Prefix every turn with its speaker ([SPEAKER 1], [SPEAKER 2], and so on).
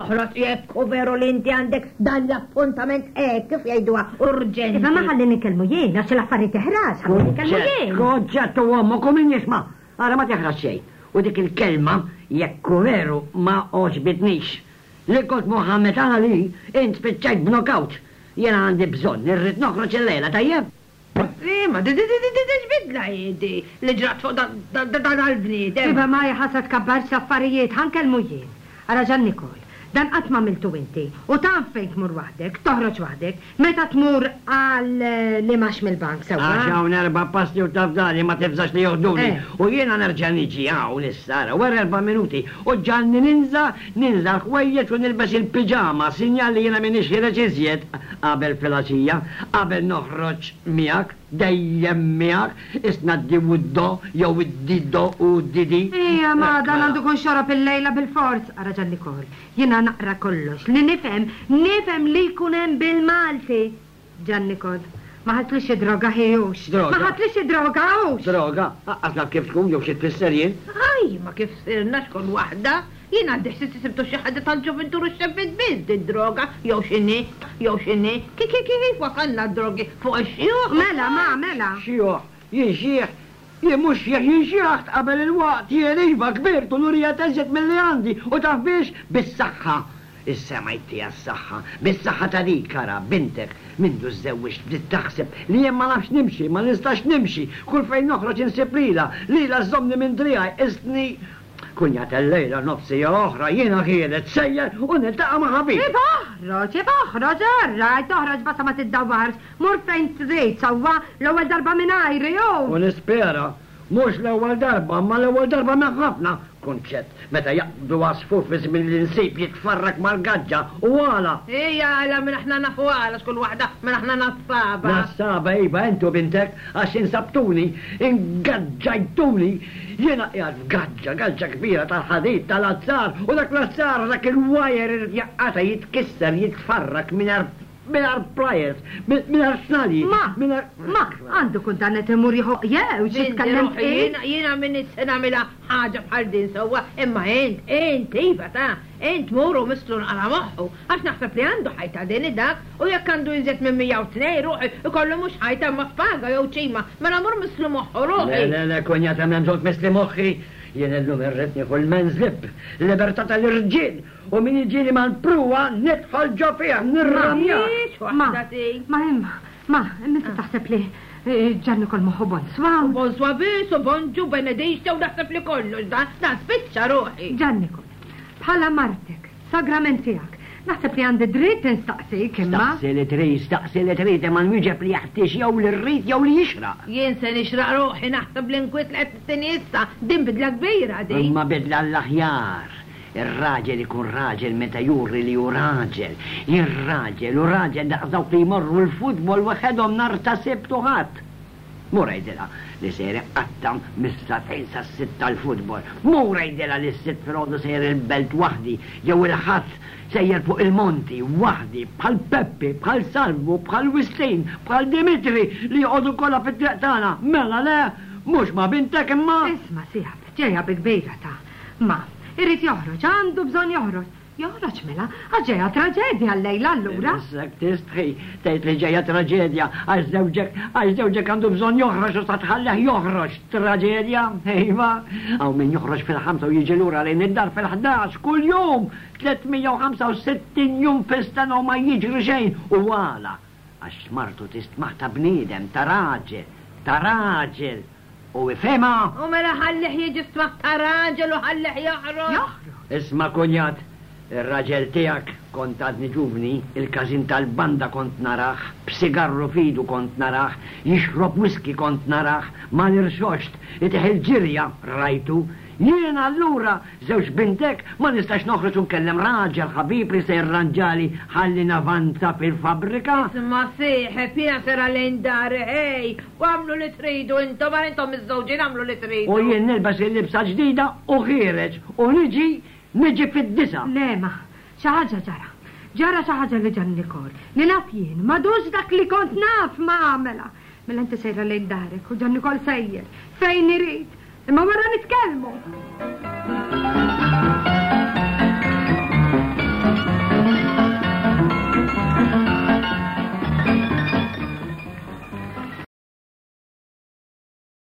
[SPEAKER 1] Oħroġ jekk hu veru li inti għandek dan l-appuntament hekk kif jgħiduha urġenti.
[SPEAKER 2] Iva ma ħalli nitkellmu jien għax l-affarijiet teħrax, ħalli nitkellmu jien.
[SPEAKER 3] Kunċett u ommok u min jisma'. Ara ma teħrax xejn. U dik il-kelma jekk hu veru ma għoġbitnix. Li kont Mohammed Ali, int spiċċajt b'knockout. Jiena għandi bżonn, irrid noħroġ illejla, tajjeb?
[SPEAKER 1] Imma di di di di di x'bidla hi di li ġrat fuq dan il-bniedem?
[SPEAKER 2] Iva ma hi sa tkabbarx l-affarijiet, ħa nkellmu jien. Ara Jean Nicole, dan qatt m'għamiltu inti u taf fejn tmur waħdek, toħroġ waħdek, meta tmur għal l-imgħax mill-bank, sewwa?
[SPEAKER 3] Għax hawn erba' passi u taf dari ma tibżax li joħduni. U jiena nerġa' niġi hawn issa, ara, wara erba' minuti u ġagħalni ninża', ninża' l-ħwejjeġ u nilbes il-piġama, sinjal li jiena m'iniex ħiereġ iżjed qabel filgħaxija, qabel noħroġ miegħek, dejjem miegħek, isna d-di u d-do jew id-di-do u d-di-di.
[SPEAKER 2] Ejja, ma dan għandu jkun xorob illejla bilfors. Ara Ġan Nikol, jiena naqra kollox, li nifhem, nifhem li jkun hemm bil-Malti. Ġan Nikol, ma ħadtlix xi droga hi hux?
[SPEAKER 3] Droga?
[SPEAKER 2] Ma ħadtlix xi droga hux?
[SPEAKER 3] Droga? Aqqas naf kif tkun jew xi tfisser jien.
[SPEAKER 1] Aj, ma kif sirna x'kull waħda. Jien għandi ħsies li sibtu xi ħaġa tal-ġuvintur u x-xebbiet biss did-droga, jew x'inhi, jew x'inhi. Ki, ki, kif wasalna d-drogi fuq ix-xjuħ?
[SPEAKER 2] Mela, ma, mela.
[SPEAKER 3] Xjuħ? Jien xjieħ? Jien mhux xjieħ, jien xjaħt qabel il-waqt, jien iva kbirt u nurija teżjed milli għandi, u taf biex? Bis-saħħa! Is-sema jtiha s-saħħa. Bis-saħħa ta' dik, ara, bintek, mindu żżewwiġt bdiet taħseb li jien ma nafx nimxi, ma nistax nimxi, kull fejn noħroġ insib lilha, lilha żżommni minn driegħi, qisni kunjat illejla nofs siegħa oħra jiena ħiereġ sejjer u niltaqa' ma' ħabib.
[SPEAKER 2] Iva oħroġ, iva oħroġ, all right, oħroġ basta ma tiddawwarx, mur fejn trid, sewwa, l-ewwel darba mingħajri, u.
[SPEAKER 3] U nispera Mhux l-ewwel darba, imma l-ewwel darba minn ħafna, kunċett, meta jaqbdu għasfur fi żmien l-insib jitfarrak mal-gaġġa, u għala?
[SPEAKER 1] Hi għala minn aħna nafu għala x'kull waħda minn aħna nassaba.
[SPEAKER 3] Nassaba, iva, int u bintek, għax insabtuni, ingaġġajtuni. Jiena qiegħed f'gaġġa, gaġġa kbira tal-ħadid, tal-azzar, u dak l-azzar, dak il-wire irid jaqqata', jitkisser, jitfarrak mingħajr Mingħajr pliers, mingħajr snalji,
[SPEAKER 2] Ma,
[SPEAKER 3] mingħajr.
[SPEAKER 2] ma, għandu kun dan qed imur jieħu jew xi tkellem
[SPEAKER 1] Ruħi, jiena, jiena m'iniex se nagħmilha ħaġa bħal din sewwa, imma int, int, iva ta, int mur u misslu nqala' moħħu, għax naħseb li għandu ħajta din dak, u jekk għandu iżjed minn 102, ruħi, ikollu mhux ħajta imma spaga jew ċima, mela mur misslu moħħu, ruħi.
[SPEAKER 3] Le, le, le, kunjata m'hemm bżonn tmissli moħħi, jien illum irrid nieħu l-men's lib, libertà tal-irġiel, U min jiġini mal-pruwa nidħol ġo fih, nirramjah!
[SPEAKER 2] Ma, ma, imma, ma, imma inti taħseb li Ġanni kol moħħu bonswa?
[SPEAKER 1] U bonswa biss, u bonġu, benedixta, u naħseb li kollox, dan, dan spiċċa ruħi.
[SPEAKER 2] Ġanni kol, bħala martek, sagrament tiegħek, naħseb li għandi dritt instaqsik, imma.
[SPEAKER 3] Staqsi li trid, staqsi li trid, imma nwieġeb li jeħtieġ jew li rrid jew li jixraq.
[SPEAKER 1] Jien se nixraq ruħi, naħseb l-inkwiet li qed tittini issa, din bidla kbira din.
[SPEAKER 3] Imma bidla għall-aħjar. Ir-raġel ikun raġel meta juri li hu raġel. Jien raġel u raġel daqs dawk li jmorru l-futbol waħedhom nhar ta' Sibt u Ħadd. Mur għidilha li sejjer inqatta' mis-sagħtejn sas-sitta l-futbol. Mur għidilha li s-Sibt filgħodu sejjer il-Belt waħdi jew il-Ħadd sejjer fuq il-monti waħdi bħal Peppi, bħal Salvu, bħal Wistin, bħal Dimitri li joqogħdu kollha fit-triq tagħna. Mela le, mhux ma' bintek imma.
[SPEAKER 2] Isma' sieħab, ġejja bi kbira ta' Ma, irid joħroġ, għandu bżonn joħroġ. Joħroġ mela, għax ġejja traġedja llejla allura.
[SPEAKER 3] Issek tistħi tgħid li ġejja traġedja għax żewġek, għax żewġek għandu bżonn joħroġ u sa tħallih joħroġ. Traġedja? Iva, hawn min joħroġ fil-ħamsa u jiġi lura lejn id-dar fil-ħdax kuljum, 365 jum fis-sena u ma jiġri xejn. U għala? Għax martu tistmah ta' bniedem, ta' raġel, ta' raġel. U ifhimha!
[SPEAKER 1] U mela ħallih jiġi stmah ta' raġel u ħallih joħroġ!
[SPEAKER 2] Joħroġ!
[SPEAKER 3] Isma' kunjat, ir-raġel tiegħek, kont għadni ġuvni, il-każin tal-banda kont narah, b'sigarru f'idu kont narah, jixrob whisky kont narah, mal-irxoxt, itih il-ġirja, rajtu. Jien allura, żewġ bintek, ma nistax noħroġ u nkellem raġel ħabib li se jirranġali ħalli navanza fil-fabbrika?
[SPEAKER 1] Isma' sieħeb, jiena sejra lejn dari, ħej, u agħmlu li tridu intom, għal intom miżżewġin agħmlu li tridu.
[SPEAKER 3] U jien nilbes il-libsa ġdida u ħiereġ u niġi, niġi fid-disgħa.
[SPEAKER 2] Le, ma, xi ħaġa ġara. Ġara xi ħaġa li Ġanni Kor, li naf jien, m'għadux dak li kont naf, ma, mela, mela inti sejra lejn darek u Ġanni Kol sejjer fejn irid. Imma wara nitkellmu!